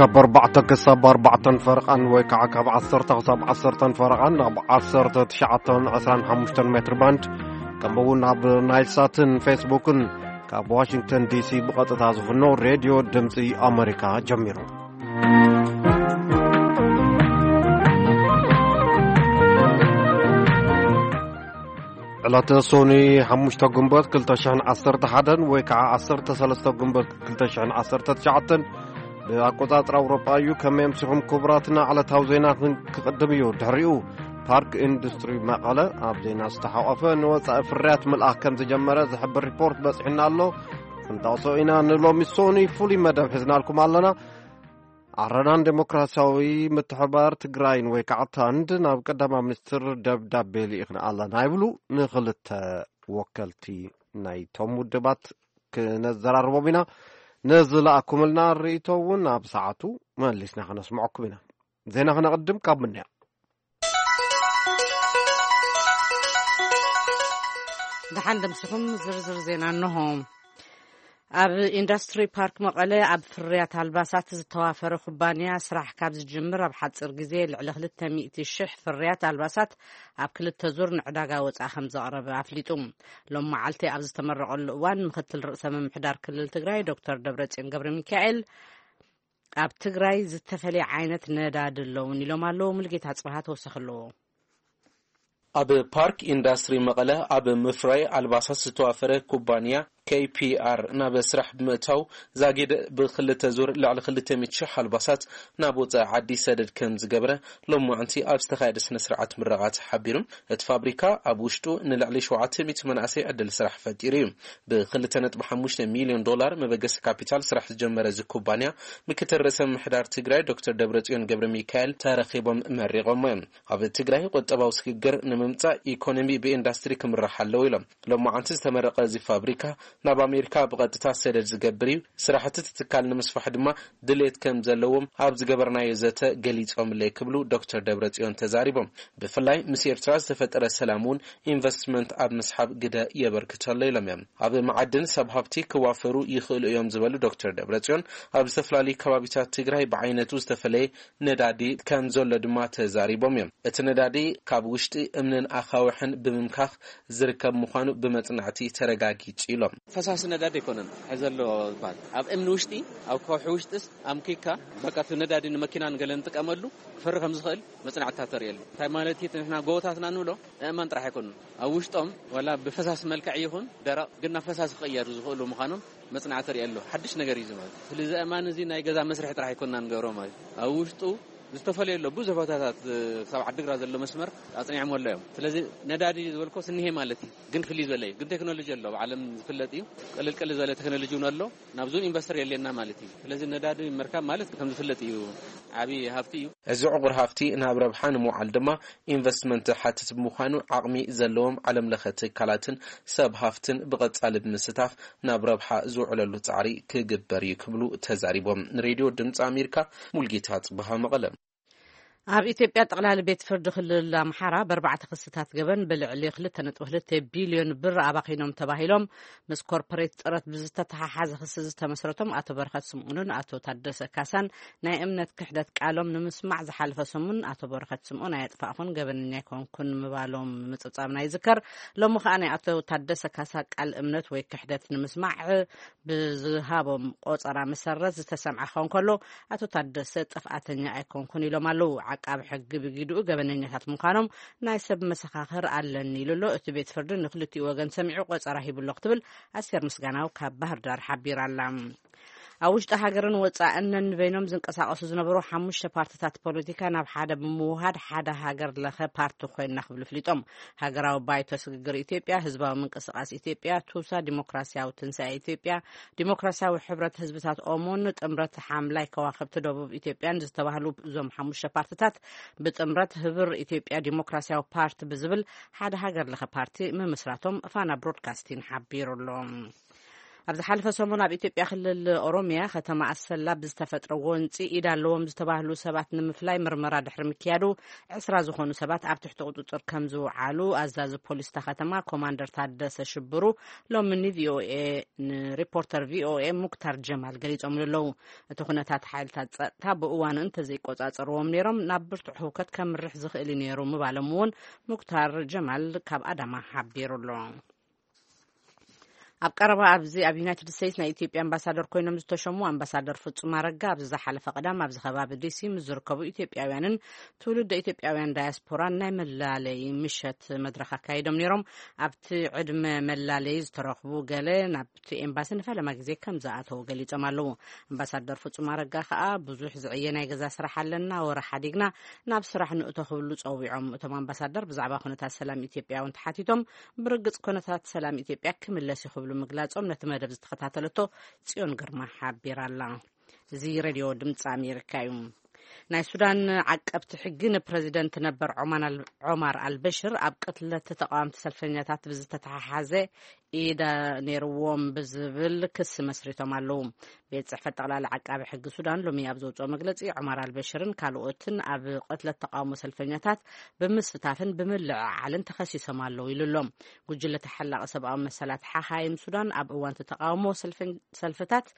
ካብ ኣርባዕተ ክሳብ ኣርባዕተን ፈረቓን ወይ ከዓ ካብ ዓሰርተ ክሳብ ዓሰርተን ፈረቓን ኣብ ዓሰርተ ትሽዓተን ዕስራን ሓሙሽተን ሜትር ባንድ፣ ከምኡ እውን ኣብ ናይል ሳትን ፌስቡክን ካብ ዋሽንግተን ዲሲ ብቐጥታ ዝፍኖ ሬድዮ ድምፂ ኣመሪካ ጀሚሩ። ዕለተ ሶኒ ሓሙሽተ ግንቦት ክልተ ሽሕን ዓሰርተ ሓደን ወይ ከዓ ዓሰርተ ሰለስተ ግንቦት ክልተ ሽሕን ዓሰርተ ትሽዓተን ብኣቆጻጽራ ኣውሮጳ እዩ። ከመይ ኣምሲኹም ክቡራትና? ዕለታዊ ዜና ክን-፣ ክቕድም እዩ። ድሕሪኡ ፓርክ ኢንዱስትሪ መቐለ ኣብ ዜና ዝተሓቆፈ ንወጻኢ ፍርያት ምልኣኽ ከም ዝጀመረ ዝሕብር ሪፖርት በጺሑና ኣሎ። ክንጠቕሶ ኢና። ንሎሚ ሶኒ ፍሉይ መደብ ሒዝናልኩም ኣለና። ኣረናን ዴሞክራሲያዊ ምትሕባር ትግራይን ወይ ከዓ ታንድ ናብ ቀዳማይ ሚኒስትር ደብዳቤ ልኢኽና ኣለና ይብሉ ንኽልተ ወከልቲ ናይቶም ውድባት ክነዘራርቦም ኢና። ንዝለኣኩምልና ርእይቶ እውን ኣብ ሰዓቱ መሊስና ከነስምዐኩም ኢና። ዜና ክነቕድም ካብ ምንያ። ደሓን ደምሲኹም ዝርዝር ዜና እንሆ። ኣብ ኢንዱስትሪ ፓርክ መቐለ ኣብ ፍርያት ኣልባሳት ዝተዋፈረ ኩባንያ ስራሕ ካብ ዝጅምር ኣብ ሓፂር ግዜ ልዕሊ ክልተ ሚእቲ ሽሕ ፍርያት ኣልባሳት ኣብ ክልተ ዙር ንዕዳጋ ወፃኢ ከም ዘቕረበ ኣፍሊጡ። ሎም መዓልቲ ኣብ ዝተመረቐሉ እዋን ምክትል ርእሰ ምምሕዳር ክልል ትግራይ ዶክተር ደብረፅዮን ገብረ ሚካኤል ኣብ ትግራይ ዝተፈላለየ ዓይነት ነዳዲ ኣለውን ኢሎም ኣለዉ። ሙልጌታ ጽባሃ ተወሰኺ ኣለዎ። ኣብ ፓርክ ኢንዱስትሪ መቐለ ኣብ ምፍራይ ኣልባሳት ዝተዋፈረ ኩባንያ ኬ ፒ ኣር ናብ ስራሕ ብምእታው ዛጊድ ብክልተ ዙር ልዕሊ ክልተ ሚእቲ ሽሕ ኣልባሳት ናብ ወፃኢ ዓዲ ሰደድ ከም ዝገበረ ሎማዕንቲ ኣብ ዝተኻየደ ስነ ስርዓት ምረቓ ተሓቢሩ። እቲ ፋብሪካ ኣብ ውሽጡ ንልዕሊ ሸውዓተ ሚእቲ መናእሰይ ዕድል ስራሕ ፈጢሩ እዩ። ብክልተ ነጥቢ ሓሙሽተ ሚልዮን ዶላር መበገሲ ካፒታል ስራሕ ዝጀመረ እዚ ኩባንያ ምክትል ርእሰ ምምሕዳር ትግራይ ዶክተር ደብረጽዮን ገብረ ሚካኤል ተረኺቦም መሪቖሞ እዮም። ኣብ ትግራይ ቁጠባዊ ስግግር ንምምጻእ ኢኮኖሚ ብኢንዱስትሪ ክምራሕ ኣለዎ ኢሎም። ሎማዓንቲ ዝተመረቐ እዚ ፋብሪካ ናብ ኣሜሪካ ብቐጥታ ሰደድ ዝገብር እዩ። ስራሕቲ እቲ ትካል ንምስፋሕ ድማ ድሌት ከም ዘለዎም ኣብ ዝገበርናዮ ዘተ ገሊጾምለይ ክብሉ ዶክተር ደብረጽዮን ተዛሪቦም። ብፍላይ ምስ ኤርትራ ዝተፈጠረ ሰላም እውን ኢንቨስትመንት ኣብ ምስሓብ ግደ የበርክተሎ ኢሎም እዮም። ኣብ መዓድን ሰብ ሃብቲ ክዋፈሩ ይኽእሉ እዮም ዝበሉ ዶክተር ደብረጽዮን ኣብ ዝተፈላለዩ ከባቢታት ትግራይ ብዓይነቱ ዝተፈለየ ነዳዲ ከም ዘሎ ድማ ተዛሪቦም እዮም። እቲ ነዳዲ ካብ ውሽጢ እምንን ኣኻውሕን ብምምካኽ ዝርከብ ምዃኑ ብመጽናዕቲ ተረጋጊጹ ኢሎም። ፈሳሲ ነዳዲ ኣይኮነን ሒዘ ኣሎ ዝበሃል። ኣብ እምኒ ውሽጢ፣ ኣብ ከውሒ ውሽጢስ ኣምኪካ፣ በቃ እቲ ነዳዲ ንመኪና ንገለ ንጥቀመሉ ክፈሪ ከም ዝኽእል መጽናዕትታት ተርእየሉ። እንታይ ማለት እዩ? እቲ ንሕና ጎቦታትና ንብሎ ኣእማን ጥራሕ ኣይኮኑን። ኣብ ውሽጦም ዋላ ብፈሳሲ መልክዕ ይኹን ደረቕ፣ ግን ናብ ፈሳሲ ክቕየሩ ዝኽእሉ ምዃኖም መጽናዕቲ ተርእየሉ። ሓድሽ ነገር እዩ እዚ ማለት። ስለዚ ኣእማን እዚ ናይ ገዛ መስርሒ ጥራሕ ኣይኮንና ንገብሮ ማለት እዩ። ኣብ ውሽጡ ዝተፈለየ ኣሎ። ብዙሕ ቦታታት፣ እ፣ ክሳብ ዓዲግራት ዘሎ መስመር ኣጽኒዖም ኣሎ እዮም። ስለዚ ነዳዲ ዝበልኮ ስኒሄ ማለት እዩ። ግን ፍልይ ዝበለ እዩ። ግን ቴክኖሎጂ ኣሎ፣ ኣብ ዓለም ዝፍለጥ እዩ። ቅልል ቅልል ዝበለ ቴክኖሎጂ እውን ኣሎ። ናብዚ እውን ኢንቨስተር የድልየና ማለት እዩ። ስለዚ ነዳዲ ምርካብ ማለት ከም ዝፍለጥ እዩ፣ ዓብዪ ሃብቲ እዩ። እዚ ዕቑር ሃፍቲ ናብ ረብሓ ንምውዓል ድማ ኢንቨስትመንት ሓትት ብምዃኑ ዓቕሚ ዘለዎም ዓለም ለኸ ትካላትን ሰብ ሃፍትን ብቐጻሊ ብምስታፍ ናብ ረብሓ ዝውዕለሉ ጻዕሪ ክግበር እዩ ክብሉ ተዛሪቦም። ንሬድዮ ድምፂ ኣሜሪካ ሙልጌታ ጽበሃ መቐለ። ኣብ ኢትዮጵያ ጠቕላሊ ቤት ፍርዲ ክልል ኣምሓራ ብኣርባዕተ ክስታት ገበን ብልዕሊ ክልተ ነጥቢ ክልተ ቢልዮን ብር ኣባኺኖም ተባሂሎም ምስ ኮርፖሬት ጥረት ብዝተተሓሓዘ ክሲ ዝተመስረቶም ኣቶ በረኸት ስምኡንን ኣቶ ታደሰ ካሳን ናይ እምነት ክሕደት ቃሎም ንምስማዕ ዝሓለፈ ሰሙን ኣቶ በረኸት ስምኡን ኣየጥፋእኹን ገበነኛ ኣይኮንኩን ምባሎም ምጽብጻብና ይዝከር። ሎሚ ከኣ ናይ ኣቶ ታደሰ ካሳ ቃል እምነት ወይ ክሕደት ንምስማዕ ብዝሃቦም ቆጸራ መሰረት ዝተሰምዐ ክኸውን ከሎ፣ ኣቶ ታደሰ ጥፍኣተኛ ኣይኮንኩን ኢሎም ኣለዉ። ዓቃቢ ሕጊ ብጊድኡ ገበነኛታት ምዃኖም ናይ ሰብ መሰኻኽር ኣለኒ ኢሉ ኣሎ። እቲ ቤት ፍርዲ ንክልቲኡ ወገን ሰሚዑ ቆጸራ ሂቡ ኣሎ ክትብል ኣስቴር ምስጋናው ካብ ባህር ዳር ሓቢራ ኣላ። ኣብ ውሽጢ ሃገርን ወጻእን ነንበይኖም ዝንቀሳቐሱ ዝነበሩ ሓሙሽተ ፓርትታት ፖለቲካ ናብ ሓደ ብምውሃድ ሓደ ሃገር ለኸ ፓርቲ ኮይና ክብሉ ፍሊጦም። ሃገራዊ ባይቶ ስግግር ኢትዮጵያ፣ ህዝባዊ ምንቅስቃስ ኢትዮጵያ፣ ቱሳ፣ ዲሞክራሲያዊ ትንሳኤ ኢትዮጵያ፣ ዲሞክራሲያዊ ሕብረት ህዝብታት ኦሞን ጥምረት ሓምላይ ከዋኽብቲ ደቡብ ኢትዮጵያን ዝተባህሉ እዞም ሓሙሽተ ፓርትታት ብጥምረት ህብር ኢትዮጵያ ዲሞክራሲያዊ ፓርቲ ብዝብል ሓደ ሃገር ለኸ ፓርቲ ምምስራቶም ፋና ብሮድካስቲን ሓቢሩ ኣሎ። ኣብ ዝሓለፈ ሰሙን ኣብ ኢትዮጵያ ክልል ኦሮሚያ ከተማ ኣሰላ ብዝተፈጥረ ጎንፂ ኢድ ኣለዎም ዝተባህሉ ሰባት ንምፍላይ ምርመራ ድሕሪ ምክያዱ ዕስራ ዝኾኑ ሰባት ኣብ ትሕቲ ቁፅፅር ከም ዝውዓሉ ኣዛዚ ፖሊስ እታ ከተማ ኮማንደር ታደሰ ሽብሩ ሎሚ ንቪኦኤ ንሪፖርተር ቪኦኤ ሙክታር ጀማል ገሊፆምሉ ኣለዉ። እቲ ኩነታት ሓይልታት ጸጥታ ብእዋኑ እንተዘይቆጻጸርዎም ነይሮም ናብ ብርቱዕ ህውከት ከምርሕ ዝኽእል እዩ ነይሩ ምባሎም እውን ሙክታር ጀማል ካብ ኣዳማ ሓቢሩ ኣሎ። ኣብ ቀረባ ኣብዚ ኣብ ዩናይትድ ስቴትስ ናይ ኢትዮጵያ ኣምባሳደር ኮይኖም ዝተሸሙ ኣምባሳደር ፍጹም ኣረጋ ኣብዚ ዝሓለፈ ቀዳም ኣብዚ ከባቢ ዲሲ ምስ ዝርከቡ ኢትዮጵያውያንን ትውልደ ኢትዮጵያውያን ዳያስፖራን ናይ መላለይ ምሸት መድረኽ ኣካይዶም ነይሮም። ኣብቲ ዕድመ መላለይ ዝተረኽቡ ገለ ናብቲ ኤምባሲ ንፈለማ ግዜ ከም ዝኣተዉ ገሊጾም ኣለዉ። ኣምባሳደር ፍጹም ኣረጋ ከኣ ብዙሕ ዝዕየ ናይ ገዛ ስራሕ ኣለና፣ ወረ ሓዲግና ናብ ስራሕ ንእቶ ክብሉ ጸዊዖም። እቶም ኣምባሳደር ብዛዕባ ኩነታት ሰላም ኢትዮጵያ እውን ተሓቲቶም ብርግጽ ኩነታት ሰላም ኢትዮጵያ ክምለስ እዩ ክብሉ ምግላጾም ነቲ መደብ ዝተኸታተለቶ ጽዮን ግርማ ሓቢራ ኣላ። እዚ ሬድዮ ድምፂ ኣሜሪካ እዩ። ናይ ሱዳን ዓቀብቲ ሕጊ ንፕረዚደንት ነበር ዖማን ኣል- ዖማር ኣልበሽር ኣብ ቅትለት ተቃወምቲ ሰልፈኛታት ብዝተተሓሓዘ ኢዳ ነይርዎም ብዝብል ክሲ መስሪቶም ኣለዉ። ቤት ጽሕፈት ጠቕላላ ዓቃቢ ሕጊ ሱዳን ሎሚ ኣብ ዘውፅኦ መግለፂ ዖማር ኣልበሽርን ካልኦትን ኣብ ቅትለት ተቃውሞ ሰልፈኛታት ብምስታፍን ብምልዕዓልን ተኸሲሶም ኣለዉ ኢሉ ኣሎ። ጉጅለ ተሓላቂ ሰብኣዊ መሰላት ሓኻይም ሱዳን ኣብ እዋን እቲ ተቃውሞ ሰልፈን- ሰልፍታት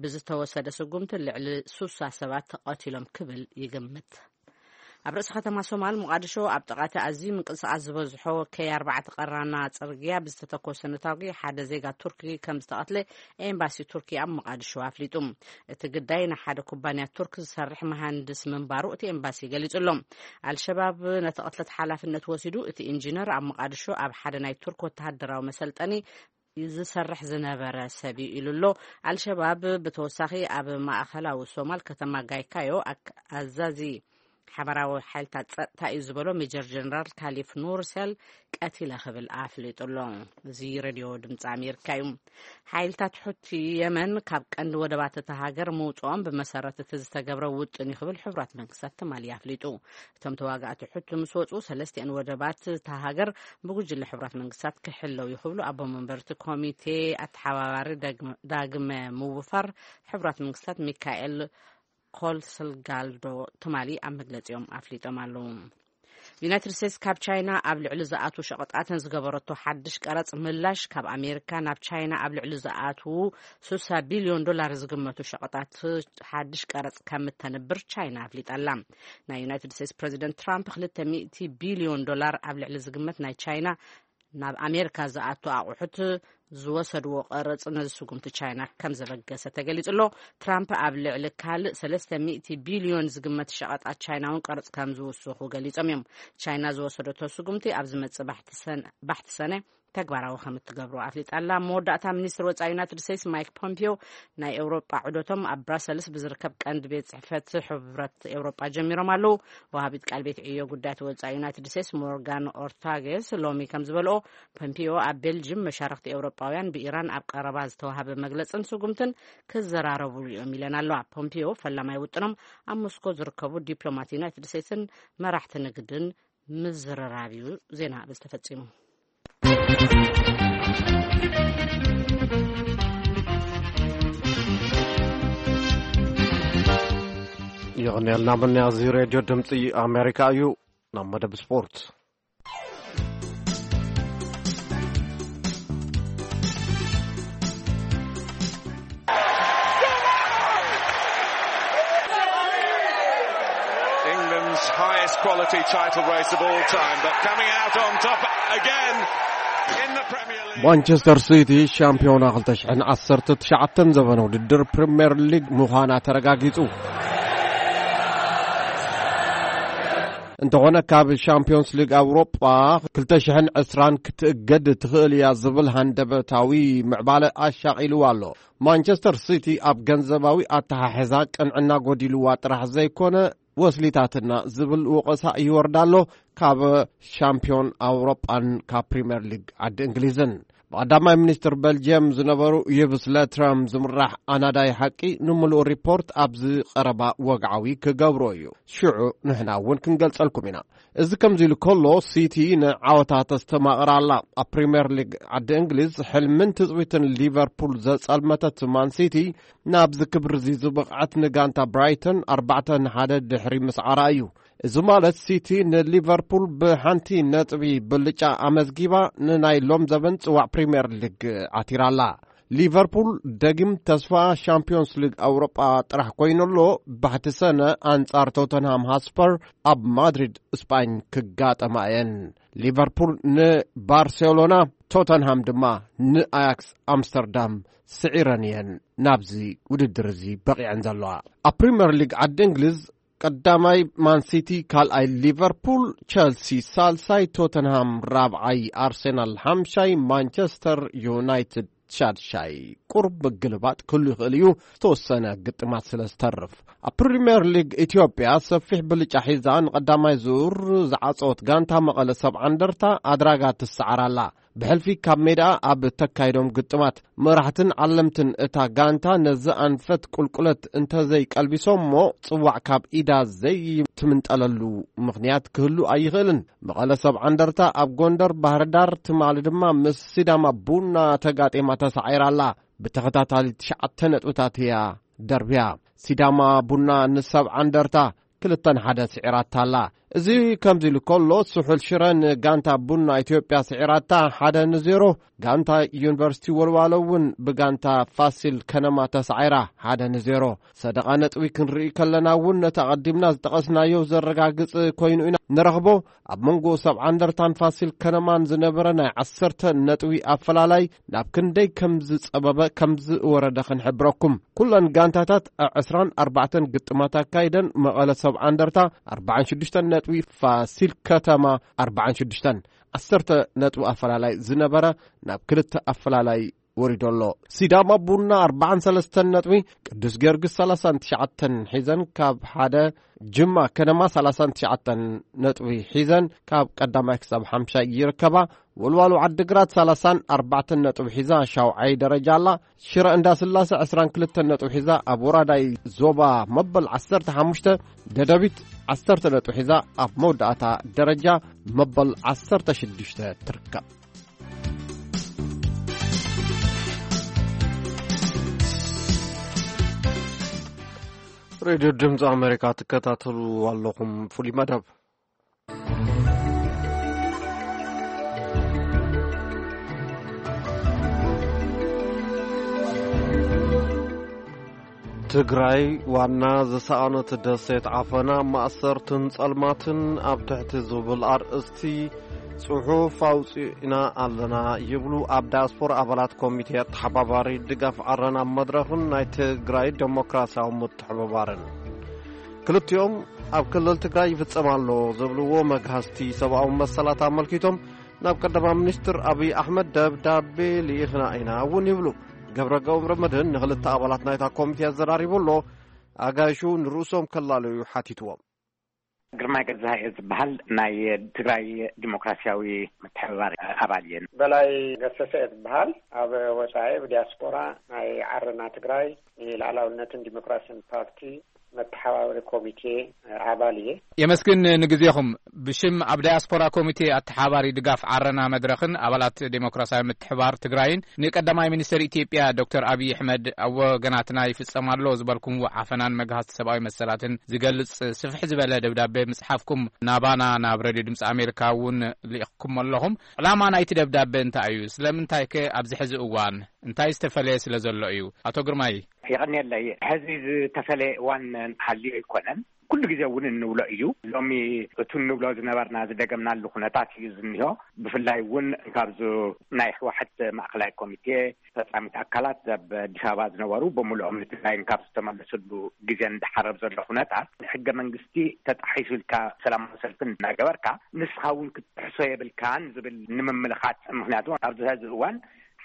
ብዝተወሰደ ስጉምቲ ልዕሊ ሱሳ ሰባት ተቐቲሎም ክብል ይግምት። ኣብ ርእሲ ከተማ ሶማል ሞቓድሾ ኣብ ጥቓቲ ኣዝዩ ምንቅስቓስ ዝበዝሖ ከይ ኣርባዕተ ቀራና ጽርግያ ብዝተተኮሰ ነታጒ ሓደ ዜጋ ቱርኪ ከም ዝተቐትለ ኤምባሲ ቱርኪ ኣብ ሞቓድሾ ኣፍሊጡ። እቲ ግዳይ ንሓደ ኩባንያ ቱርክ ዝሰርሕ መሃንድስ ምንባሩ እቲ ኤምባሲ ገሊጹ ኣሎ። ኣልሸባብ ነቲ ቅትለት ሓላፍነት ወሲዱ። እቲ ኢንጂነር ኣብ ሞቓድሾ ኣብ ሓደ ናይ ቱርክ ወተሃደራዊ መሰልጠኒ ዝሰርሕ ዝነበረ ሰብ እዩ ኢሉ ኣሎ። ኣልሸባብ ብተወሳኺ ኣብ ማእኸላዊ ሶማል ከተማ ጋይካዮ ኣክ- ኣዛዚ ሓበራዊ ሓይልታት ጸጥታ እዩ ዝበሎ ሜጀር ጀነራል ካሊፍ ኑር ሰል ቀቲለ ክብል ኣፍሊጡ ኣሎ። እዚ ሬድዮ ድምፂ ኣሜሪካ እዩ። ሓይልታት ሑቲ የመን ካብ ቀንዲ ወደባት እታ ሃገር ምውፅኦም ብመሰረት እቲ ዝተገብረ ውጥን እዩ ክብል ሕቡራት መንግስታት ትማሊ ኣፍሊጡ። እቶም ተዋጋእቲ ሑቲ ምስ ወፁ ሰለስቲአን ወደባት እታ ሃገር ብጉጅለ ሕቡራት መንግስታት ክሕለው እዩ ክብሉ ኣቦ መንበርቲ ኮሚቴ ኣተሓባባሪ ዳግመ ምውፋር ሕቡራት መንግስታት ሚካኤል ኮልስልጋልዶ ትማሊ ኣብ መግለፂኦም ኣፍሊጦም ኣለዉ። ዩናይትድ ስቴትስ ካብ ቻይና ኣብ ልዕሊ ዝኣትዉ ሸቐጣትን ዝገበረቶ ሓድሽ ቀረፅ ምላሽ ካብ ኣሜሪካ ናብ ቻይና ኣብ ልዕሊ ዝኣትዉ ስሳ ቢልዮን ዶላር ዝግመቱ ሸቐጣት ሓድሽ ቀረፅ ከም እተንብር ቻይና ኣፍሊጣ ኣላ። ናይ ዩናይትድ ስቴትስ ፕረዚደንት ትራምፕ ክልተ ሚእቲ ቢልዮን ዶላር ኣብ ልዕሊ ዝግመት ናይ ቻይና ናብ ኣሜሪካ ዝኣቱ ኣቑሑት ዝወሰድዎ ቀረፅ ነዚ ስጉምቲ ቻይና ከም ዘበገሰ ተገሊጹ ኣሎ። ትራምፕ ኣብ ልዕሊ ካልእ ሰለስተ ሚእቲ ቢልዮን ዝግመት ሸቐጣት ቻይና እውን ቀረፅ ከም ዝውስኹ ገሊጾም እዮም። ቻይና ዝወሰደቶ ስጉምቲ ኣብ ዝመጽእ ባሕቲ ሰነ ተግባራዊ ከም እትገብሮ ኣፍሊጣ ኣላ። መወዳእታ ሚኒስትር ወፃኢ ዩናይትድ ስቴትስ ማይክ ፖምፒዮ ናይ ኤውሮጳ ዑደቶም ኣብ ብራሰልስ ብዝርከብ ቀንዲ ቤት ጽሕፈት ሕብረት ኤውሮጳ ጀሚሮም ኣለዉ። ወሃቢት ቃል ቤት ዕዮ ጉዳያት ወፃኢ ዩናይትድ ስቴትስ ሞርጋን ኦርታጌስ ሎሚ ከም ዝበልኦ ፖምፒዮ ኣብ ቤልጅም መሻርክቲ ኤውሮጳውያን ብኢራን ኣብ ቀረባ ዝተዋሃበ መግለፅን ስጉምትን ክዘራረቡሉ እዮም ኢለን ኣለዋ። ፖምፒዮ ፈላማይ ውጥኖም ኣብ ሞስኮ ዝርከቡ ዲፕሎማት ዩናይትድ ስቴትስን መራሕቲ ንግድን ምዝርራብ እዩ። ዜና ብዝተፈጺሙ። ይቕንየልና። ምንያ እዚ ሬድዮ ድምፂ ኣሜሪካ እዩ። ናብ መደብ ስፖርት። England's highest quality title race of all time, but coming out on top again in the Premier League. ማንቸስተር ሲቲ ሻምፒዮና ክልተ ሽሕን ዓሰርተ ትሽዓተን ዘበነ ውድድር ፕሪምየር ሊግ ምዃና ተረጋጊጹ። እንተኾነ ካብ ሻምፒዮንስ ሊግ ኣውሮጳ ክልተ ሽሕን ዕስራን ክትእገድ ትኽእል እያ ዝብል ሃንደበታዊ ምዕባለ ኣሻቒልዋ ኣሎ። ማንቸስተር ሲቲ ኣብ ገንዘባዊ ኣተሓሕዛ ቅንዕና ጎዲልዋ ጥራሕ ዘይኮነ ወስሊታትና ዝብል ወቐሳ ይወርዳ ኣሎ ካብ ሻምፒዮን ኣውሮጳን ካብ ፕሪምየር ሊግ ዓዲ እንግሊዝን። ቀዳማይ ሚኒስትር በልጅየም ዝነበሩ ይቭስ ለትረም ዝምራሕ ኣናዳይ ሓቂ ንምሉእ ሪፖርት ኣብዚ ቀረባ ወግዓዊ ክገብሮ እዩ። ሽዑ ንሕና እውን ክንገልጸልኩም ኢና። እዚ ከምዚ ኢሉ ከሎ፣ ሲቲ ንዓወታ ተስተማቕር ኣላ። ኣብ ፕሪምየር ሊግ ዓዲ እንግሊዝ፣ ሕልምን ትጽቢትን ሊቨርፑል ዘጸልመተት ማን ሲቲ፣ ናብዚ ክብሪ እዚ ዝበቕዐት ንጋንታ ብራይተን ኣርባዕተ ንሓደ ድሕሪ ምስዓራ እዩ። እዚ ማለት፣ ሲቲ ንሊቨርፑል ብሓንቲ ነጥቢ ብልጫ ኣመዝጊባ፣ ንናይ ሎም ዘበን ጽዋዕ ፕሪምየር ሊግ ዓቲራ ኣላ። ሊቨርፑል ደጊም ተስፋ ሻምፒዮንስ ሊግ ኣውሮጳ ጥራሕ ኮይኑ ኣሎ። ባሕቲ ሰነ ኣንጻር ቶተንሃም ሃስፐር ኣብ ማድሪድ ስጳኝ ክጋጠማ እየን። ሊቨርፑል ንባርሴሎና፣ ቶተንሃም ድማ ንኣያክስ ኣምስተርዳም ስዒረን እየን ናብዚ ውድድር እዚ በቒዐን ዘለዋ። ኣብ ፕሪምየር ሊግ ዓዲ እንግሊዝ፣ ቀዳማይ ማን ሲቲ፣ ካልኣይ ሊቨርፑል፣ ቸልሲ ሳልሳይ፣ ቶተንሃም ራብዓይ፣ ኣርሴናል ሓምሻይ፣ ማንቸስተር ዩናይትድ ሻድሻይ። ቁሩብ ምግልባጥ ክህሉ ይኽእል እዩ፣ ዝተወሰነ ግጥማት ስለ ዝተርፍ። ኣብ ፕሪምየር ሊግ ኢትዮጵያ ሰፊሕ ብልጫ ሒዛ ንቐዳማይ ዙር ዝዓጸወት ጋንታ መቐለ ሰብዓ እንደርታ ኣድራጋ ትሰዓር ኣላ። ብሕልፊ ካብ ሜዳ ኣብ ተካይዶም ግጥማት፣ መራሕትን ዓለምትን እታ ጋንታ ነዚ ኣንፈት ቁልቁለት እንተዘይቀልቢሶሞ፣ ጽዋዕ ካብ ኢዳ ዘይትምንጠለሉ ምኽንያት ክህሉ ኣይኽእልን። መቐለ ሰብዓ እንደርታ ኣብ ጎንደር፣ ባህርዳር፣ ትማሊ ድማ ምስ ሲዳማ ቡና ተጋጢማ ተሳዒራ ኣላ። ብተኸታታሊ ትሽዓተ ነጥብታት እያ ደርብያ። ሲዳማ ቡና ንሰብዓ እንደርታ ክልተ ንሓደ ስዒራታ ኣላ። እዚ ከምዚ ኢሉ ከሎ፣ ስሑል ሽረ ንጋንታ ቡና ኢትዮጵያ ስዒራታ ሓደ ንዜሮ። ጋንታ ዩኒቨርሲቲ ወልዋሎ እውን ብጋንታ ፋሲል ከነማ ተሳዒራ ሓደ ንዜሮ። ሰደቓ ነጥቢ ክንርኢ ከለና እውን፣ ነቲ ኣቐዲምና ዝጠቐስናዮ ዘረጋግጽ ኮይኑ ኢና ንረኽቦ። ኣብ መንጎ ሰብዓ እንደርታን ፋሲል ከነማን ዝነበረ ናይ ዓሰርተ ነጥቢ ኣፈላላይ ናብ ክንደይ ከም ዝጸበበ፣ ከም ዝወረደ ክንሕብረኩም። ኩለን ጋንታታት ዕስራን ኣርባዕተን ግጥማት ኣካይደን፣ መቐለ ሰብዓ እንደርታ ኣርባዓን ሽዱሽተን ነጥቢ፣ ፋሲል ከተማ ኣርባዓን ሽዱሽተን፣ ዓሰርተ ነጥቢ ኣፈላላይ ዝነበረ ናብ ክልተ ኣፈላላይ ወሪዱ ኣሎ። ሲዳማ ቡና ኣርባዓን ሰለስተን ነጥቢ፣ ቅዱስ ጊዮርጊስ ሰላሳን ትሽዓተን ሒዘን ካብ ሓደ፣ ጅማ ከነማ ሰላሳን ትሽዓተን ነጥቢ ሒዘን ካብ ቀዳማይ ክሳብ ሓምሻይ ይርከባ። ወልዋሎ ዓዲግራት ሰላሳን ኣርባዕተን ነጥቢ ሒዛ ሻውዓይ ደረጃ ኣላ። ሽረ እንዳስላሰ ዕስራን ክልተን ነጥቢ ሒዛ ኣብ ወራዳይ ዞባ መበል ዓሰርተ ሓሙሽተ፣ ደደቢት ዓሰርተ ነጥቢ ሒዛ ኣብ መወዳእታ ደረጃ መበል ዓሰርተ ሽዱሽተ ትርከብ። ሬድዮ ድምፂ ኣሜሪካ ትከታተሉ ኣለኹም። ፍሉይ መደብ። ትግራይ ዋና ዝሰኣነት ደሴት ዓፈና፣ ማእሰርትን ጸልማትን ኣብ ትሕቲ ዝብል ኣርእስቲ ጽሑፍ ኣውጺእና ኣለና ይብሉ ኣብ ዳያስፖራ ኣባላት ኮሚቴ ኣተሓባባሪ ድጋፍ ዓረና መድረኽን ናይ ትግራይ ዴሞክራሲያዊ ምትሕብባርን። ክልቲኦም ኣብ ክልል ትግራይ ይፍጸም ኣሎ ዝብልዎ መግሃስቲ ሰብኣዊ መሰላት ኣመልኪቶም ናብ ቀዳማይ ሚኒስትር ኣብይ ኣሕመድ ደብዳቤ ልኢኽና ኢና እውን ይብሉ። ገብረ ገብረ መድህን ንኽልተ ኣባላት ናይታ ኮሚቴ ኣዘራሪቡ ኣሎ። ኣጋይሹ ንርእሶም ከላለዩ ሓቲትዎም። ግርማይ ገዛኢ ዝበሃል ናይ ትግራይ ዲሞክራሲያዊ ምትሕብባር ኣባል እየ። በላይ ገሰሰ እየ ዝበሃል። ኣብ ወጻኢ ብዲያስፖራ ናይ ዓረና ትግራይ ንልኣላውነትን ዲሞክራሲን ፓርቲ መተሓባበሪ ኮሚቴ ኣባል እየ። የመስግን ንግዜኹም። ብሽም ኣብ ዳያስፖራ ኮሚቴ ኣተሓባሪ ድጋፍ ዓረና መድረኽን ኣባላት ዴሞክራሲያዊ ምትሕባር ትግራይን ንቀዳማይ ሚኒስትር ኢትዮጵያ ዶክተር ኣብይ ኣሕመድ ኣብ ወገናትና ይፍጸም ኣሎ ዝበልኩምዎ ዓፈናን መግሃስቲ ሰብኣዊ መሰላትን ዝገልጽ ስፍሕ ዝበለ ደብዳቤ ምጽሓፍኩም ናባና ናብ ሬድዮ ድምፂ ኣሜሪካ እውን ልኢኽኩም ኣለኹም። ዕላማ ናይቲ ደብዳቤ እንታይ እዩ? ስለምንታይ ከ ኣብዚ ሕዚ እዋን እንታይ ዝተፈለየ ስለ ዘሎ እዩ? ኣቶ ግርማይ። የቐንየለይ። ሕዚ ዝተፈለየ እዋን ሃልዩ ኣይኮነን። ኩሉ ግዜ እውን እንብሎ እዩ። ሎሚ እቱ እንብሎ ዝነበርና ዝደገምናሉ ኩነታት እዩ ዝኒሆ። ብፍላይ እውን ካብዚ ናይ ህወሓት ማእኸላይ ኮሚቴ ፈጻሚት ኣካላት ኣብ ኣዲስ ኣበባ ዝነበሩ ብምልኦም ንትግራይን ካብ ዝተመለስሉ ግዜ እንዳሓረብ ዘሎ ኩነታት፣ ሕገ መንግስቲ ተጣሒሱ ኢልካ ሰላማዊ ሰልፍን እናገበርካ ንስኻ እውን ክትጥሕሶ የብልካን ዝብል ንምምልኻት። ምኽንያቱ ኣብዚ ሕዚ እዋን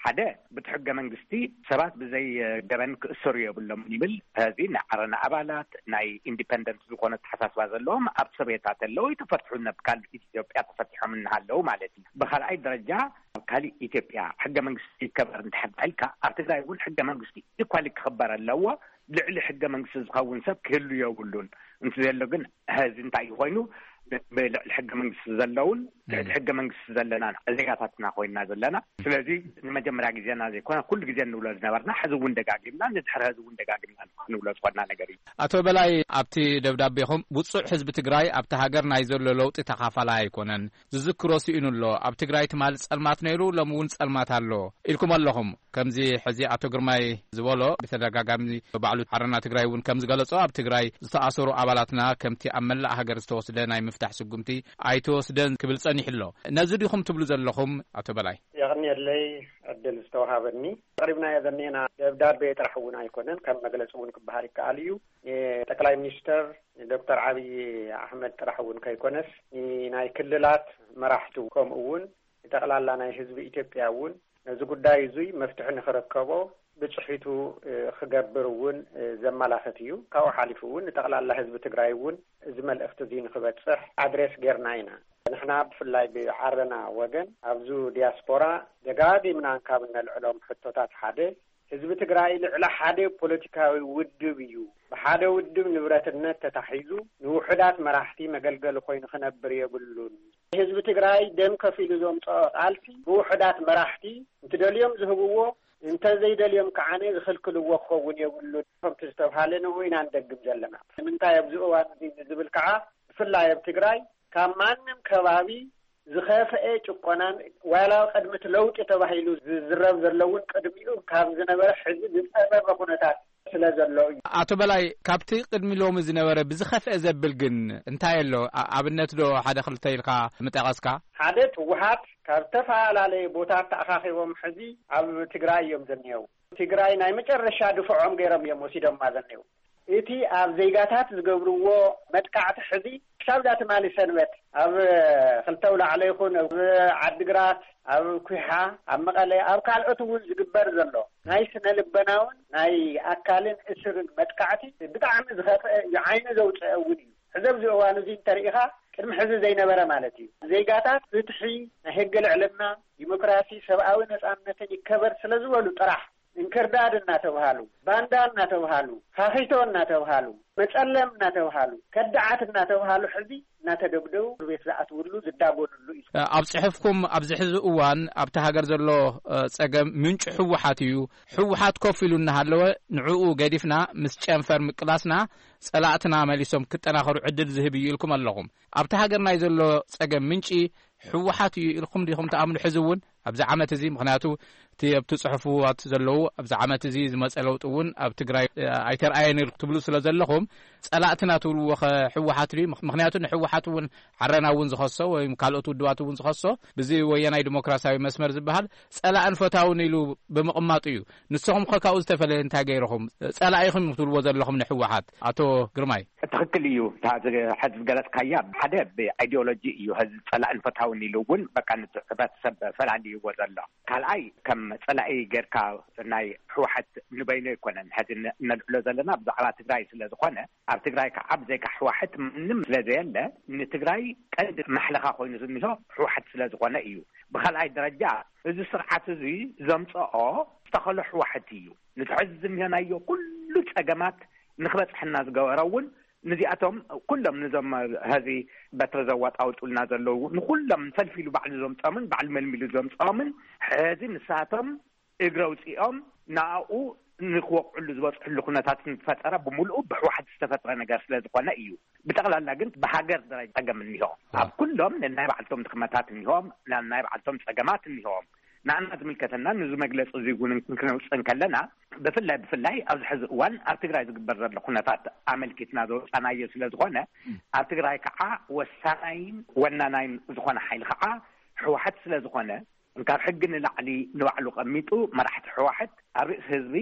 ሓደ፣ ብቲ ሕገ መንግስቲ ሰባት ብዘይ ገበን ክእሰሩ የብሎም ይብል። እዚ ናይ ዓረና ኣባላት፣ ናይ ኢንዲፐንደንት ዝኾነ ኣተሓሳስባ ዘለዎም ኣብ ሰቤታት ኣለዉ፣ ይተፈትሑ፣ ናብ ካልእ ኢትዮጵያ ተፈቲሖም እናሃለዉ ማለት እዩ። ብኻልኣይ ደረጃ፣ ኣብ ካልእ ኢትዮጵያ ሕገ መንግስቲ ይከበር እንድሕር ኢልካ፣ ኣብ ትግራይ እውን ሕገ መንግስቲ ኢኳሊ ክኽበር ኣለዎ። ልዕሊ ሕገ መንግስቲ ዝኸውን ሰብ ክህሉ የብሉን። እንት ዘሎ ግን፣ ሕዚ እንታይ እዩ ኮይኑ፣ ብልዕሊ ሕገ መንግስቲ ዘለውን ልዕሊ ሕገ መንግስቲ ዘለና ዜጋታትና ኮይና ዘለና። ስለዚ ንመጀመርያ ግዜና ዘይኮነ፣ ኩሉ ግዜ እንብሎ ዝነበርና፣ ሕዚ እውን ደጋጊምና፣ ንድሕሪ ሕዚ እውን ደጋጊምና ንብሎ ዝኾንና ነገር እዩ። ኣቶ በላይ፣ ኣብቲ ደብዳቤኹም ውጹዕ ህዝቢ ትግራይ ኣብቲ ሃገር ናይ ዘሎ ለውጢ ተኻፋላይ ኣይኮነን፣ ዝዝክሮ ስኢኑ ኣሎ። ኣብ ትግራይ ትማሊ ጸልማት ነይሩ፣ ሎሚ እውን ጸልማት ኣሎ ኢልኩም ኣለኹም። ከምዚ ሕዚ ኣቶ ግርማይ ዝበሎ፣ ብተደጋጋሚ ባዕሉ ዓረና ትግራይ እውን ከም ዝገለጾ፣ ኣብ ትግራይ ዝተኣሰሩ ኣባላትና ከምቲ ኣብ መላእ ሃገር ዝተወስደ ናይ ምፍታሕ ስጉምቲ ኣይተወስደን ክብል ጸኒሑ ኣሎ። ነዚ ዲኹም ትብሉ ዘለኹም ኣቶ በላይ? የቐንየለይ ዕድል ዝተወሃበኒ። ኣቕሪብናዮ ዘኔና ደብዳቤ ጥራሕ እውን ኣይኮነን፣ ከም መግለጺ እውን ክበሃል ይከኣል እዩ። ንጠቅላይ ሚኒስተር ዶክተር ዓብዪ ኣሕመድ ጥራሕ እውን ከይኮነስ፣ ንናይ ክልላት መራሕቱ፣ ከምኡ እውን ንጠቕላላ ናይ ህዝቢ ኢትዮጵያ እውን ነዚ ጉዳይ እዙይ መፍትሒ ንኽረከቦ ብፅሒቱ፣ እ፣ ክገብር እውን፣ እ፣ ዘመላኽት እዩ። ካብኡ ሓሊፉ እውን ንጠቕላላ ህዝቢ ትግራይ እውን እዚ መልእኽቲ እዙይ ንኽበፅሕ ኣድሬስ ጌርና ኢና። ንሕና ብፍላይ ብዓረና ወገን ኣብዚ ዲያስፖራ ደጋጊምና ካብ እነልዕሎም ሕቶታት ሓደ፣ ህዝቢ ትግራይ ልዕሊ ሓደ ፖለቲካዊ ውድብ እዩ። ብሓደ ውድብ ንብረትነት ተታሒዙ ንውሑዳት መራሕቲ መገልገሊ ኮይኑ ክነብር የብሉን። ህዝቢ ትግራይ ደም ከፊሉ ዘምፅኦ ቃልሲ ብውሑዳት መራሕቲ እንትደልዮም ዝህብዎ፣ እንተዘይደልዮም ከዓነ ዝኽልክልዎ ክኸውን የብሉን። ከምቲ ዝተብሃለ ንኡ ኢና ንደግም ዘለና። ንምንታይ ኣብዚ እዋን እዚ ንዝብል ከዓ፣ ብፍላይ ኣብ ትግራይ ካብ ማንም ከባቢ ዝኸፍአ ጭቆናን ዋላ ቅድሚ እቲ ለውጢ ተባሂሉ ዝዝረብ ዘሎ እውን ቅድሚኡ ካብ ዝነበረ ሕዚ ዝፀበበ ኩነታት ስለ ዘሎ እዩ። ኣቶ በላይ፣ ካብቲ ቅድሚ ሎሚ ዝነበረ ብዝኸፍአ ዘብል ግን እንታይ ኣሎ? ኣ-፣ ኣብነት ዶ ሓደ ክልተ ኢልካ ምጠቐስካ? ሓደ፣ ህወሓት ካብ ዝተፈላለየ ቦታ ተኣኻኺቦም ሕዚ ኣብ ትግራይ እዮም ዘኔው። ትግራይ ናይ መጨረሻ ድፍዖም ገይሮም እዮም ወሲዶማ ዘኔው። እቲ ኣብ ዜጋታት ዝገብርዎ መጥቃዕቲ ሕዚ ክሳብ እዛ ትማሊ ሰንበት ኣብ ክልተ ኣውላዕሎ ይኹን ኣብ ዓድግራት፣ ኣብ ኩሓ፣ ኣብ መቐለ፣ ኣብ ካልኦት እውን ዝግበር ዘሎ ናይ ስነ ልቦናውን ናይ ኣካልን እስርን መጥቃዕቲ ብጣዕሚ ዝኸፍአ እዩ፣ ዓይኒ ዘውፅአ እውን እዩ። ሕዚ ኣብዚ እዋን እዚ እንተሪኢኻ ቅድሚ ሕዚ ዘይነበረ ማለት እዩ። ዜጋታት ፍትሒ፣ ናይ ሕጊ ልዕልና፣ ዲሞክራሲ፣ ሰብኣዊ ነፃነትን ይከበር ስለ ዝበሉ ጥራሕ እንክርዳድ እናተብሃሉ፣ ባንዳ እናተብሃሉ፣ ፋኺቶ እናተብሃሉ፣ መፀለም እናተብሃሉ፣ ከዳዓት እናተብሃሉ ሕዚ እናተደብደቡ እስር ቤት ዝኣትውሉ ዝዳጎንሉ እዩ። ኣብ ጽሑፍኩም ኣብዚ ሕዚ እዋን ኣብቲ ሃገር ዘሎ፣ እ፣ ጸገም ምንጩ ህወሓት እዩ። ህወሓት ኮፍ ኢሉ እናሃለወ ንዕኡ ገዲፍና ምስ ጨንፈር ምቅላስና ጸላእትና መሊሶም ክጠናኸሩ ዕድል ዝህብ እዩ ኢልኩም ኣለኹም። ኣብቲ ሃገር ናይ ዘሎ ጸገም ምንጪ ህወሓት እዩ ኢልኩም ዲኹም ትኣምኑ? ሕዚ እውን ኣብዚ ዓመት እዚ፣ ምኽንያቱ እቲ ኣብቲ ጽሑፍዋት ዘለዉ ኣብዚ ዓመት እዚ ዝመጸ ለውጢ እውን ኣብ ትግራይ፣ እ፣ ኣይተርኣየን ኢልኩም ትብሉ ስለ ዘለኹም፣ ጸላእትና ትብልዎ ኸ ህወሓት ድዩ? ምኽ-፣ ምኽንያቱ ንህወሓት እውን ዓረና እውን ዝኸሶ ወይም ካልኦት ውድባት እውን ዝኸሶ ብዚ ወያናይ ዲሞክራሲያዊ መስመር ዝበሃል ጸላእን ፈታውን ኢሉ ብምቕማጡ እዩ። ንስኹም ኸ ካብኡ ዝተፈለየ እንታይ ገይርኹም? ጸላኢኹም ትብልዎ ዘለኹም ንህወሓት፣ ኣቶ ግርማይ። ትኽክል እዩ። እታ ዝ-፣ ሕዚ ዝገለጽካያ ሓደ ብኣይዲዮሎጂ እዩ። ሕዚ ጸላእን ፈታውን ኢሉ እውን በቃ ነቲ ሕብረተሰብ ፈላልይዎ ዘሎ። ካልኣይ ከም ጸላኢ ጌርካ ናይ ህወሓት ንበይኑ ኣይኮነን። ሕዚ ን-፣ ነልዕሎ ዘለና ብዛዕባ ትግራይ ስለ ዝኾነ፣ ኣብ ትግራይ ከዓ ብዘይካ ህወሓት ማንም ስለ ዘየለ፣ ንትግራይ ቀንዲ ማሕለኻ ኮይኑ ዝኒሆ ህወሓት ስለ ዝኾነ እዩ። ብኻልኣይ ደረጃ እዚ ስርዓት እዚ ዘምፀኦ ዝተኸሎ ህወሓት እዩ። ነቲ ሕዚ ዝኒሆናዮ ኩሉ ፀገማት ንክበፅሐና ዝገበረ እውን ንዚኣቶም ኩሎም፣ ነዞም ሀዚ በትሪ ዘዋጣውጡልና ዘለዉ፣ ንኩሎም ፈልፊሉ ባዕሉ ዘምፀኦምን ባዕሉ መልሚሉ ዘምፀኦምን፣ ሕዚ ንሳቶም እግሪ ኣውፂኦም ናኡ ንክወቕዕሉ ዝበፅሕሉ ኩነታት ዝተፈጠረ ብምልኡ ብህወሓት ዝተፈጥረ ነገር ስለ ዝኾነ እዩ። ብጠቕላላ ግን ብሃገር ደረጃ ፀገም እኒሆ። ኣብ ኩሎም ነናይ ባዕልቶም ድኽመታት እኒሆም፣ ነናይ ባዕልቶም ፀገማት እኒሆም። ንኣና ዝምልከተና ንዚ መግለፂ እዚ እውን ክንውፅእ እንከለና፣ ብፍላይ ብፍላይ ኣብዚ ሕዚ እዋን ኣብ ትግራይ ዝግበር ዘሎ ኩነታት ኣመልኪትና ዘውፃናዮ ስለ ዝኾነ፣ ኣብ ትግራይ ከዓ ወሳናይን ወናናይን ዝኾነ ሓይሊ ከዓ ህወሓት ስለ ዝኾነ፣ ካብ ሕጊ ንላዕሊ ንባዕሉ ቀሚጡ መራሕቲ ህወሓት ኣብ ርእሲ ህዝቢ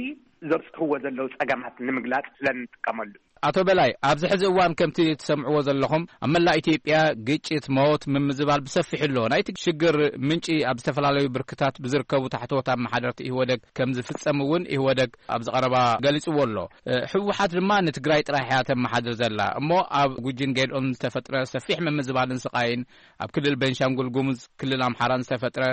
ዘብፅሕዎ ዘለዉ ፀገማት ንምግላፅ ስለ እንጥቀመሉ እዩ። ኣቶ በላይ፣ ኣብዚ ሕዚ እዋን ከምቲ ትሰምዕዎ ዘለኹም ኣብ መላእ ኢትዮጵያ ግጭት፣ ሞት፣ ምምዝባል ብሰፊሑ ኣሎ። ናይቲ ሽግር ምንጪ ኣብ ዝተፈላለዩ ብርክታት ብዝርከቡ ታሕተዎት ኣመሓደርቲ ኢህወደግ ከም ዝፍጸም እውን ኢህወደግ ኣብዚ ቀረባ ገሊጽዎ ኣሎ። እ፣ ህወሓት ድማ ንትግራይ ጥራሕ እያ ተመሓድር ዘላ። እሞ ኣብ ጉጂን ጌድኦን ዝተፈጥረ ሰፊሕ ምምዝባልን ስቓይን፣ ኣብ ክልል ቤንሻንጉል ጉሙዝ፣ ክልል ኣምሓራን ዝተፈጥረ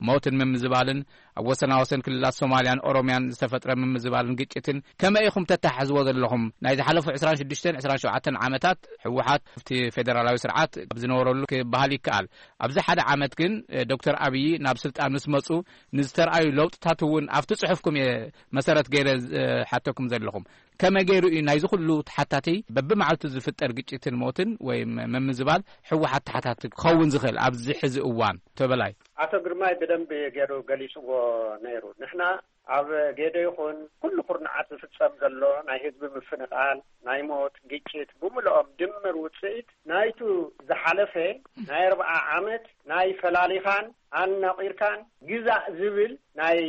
ሞትን ምምዝባልን፣ ኣብ ወሰናወሰን ክልላት ሶማልያን ኦሮምያን ዝተፈጥረ ምምዝባልን ግጭትን ከመይ ኢኹም ተተሓሕዝዎ ዘለኹም? ናይ ዝሓለፉ ዕስራን ሽዱሽተን ዕስራን ሸውዓተን ዓመታት ህወሓት ኣብቲ ፌደራላዊ ስርዓት ኣብ ዝነበረሉ ክበሃል ይከኣል። ኣብዚ ሓደ ዓመት ግን፣ እ፣ ዶክተር ኣብዪ ናብ ስልጣን ምስ መጹ ንዝተርኣዩ ለውጥታት እውን ኣብቲ ጽሑፍኩም እየ መሰረት ገይረ ዝሓተኩም ዘለኹም። ከመይ ገይሩ እዩ ናይዚ ኩሉ ተሓታቲ በብመዓልቱ ዝፍጠር ግጭትን ሞትን ወይ ም-፣ ምምዝባል ህወሓት ተሓታቲ ክኸውን ዝኽእል ኣብዚ ሕዚ እዋን? ተበላይ። ኣቶ ግርማይ ብደንቢ ገይሩ ገሊጽዎ ነይሩ። ንሕና ኣብ ጌዶ ይኹን ኩሉ ኩርናዓት ዝፍጸም ዘሎ ናይ ህዝቢ ምፍንቓል፣ ናይ ሞት፣ ግጭት ብምልኦም ድምር ውጽኢት ናይቱ ዝሓለፈ ናይ ኣርብዓ ዓመት ናይ ፈላሊኻን ኣናቒርካን ግዛእ ዝብል ናይ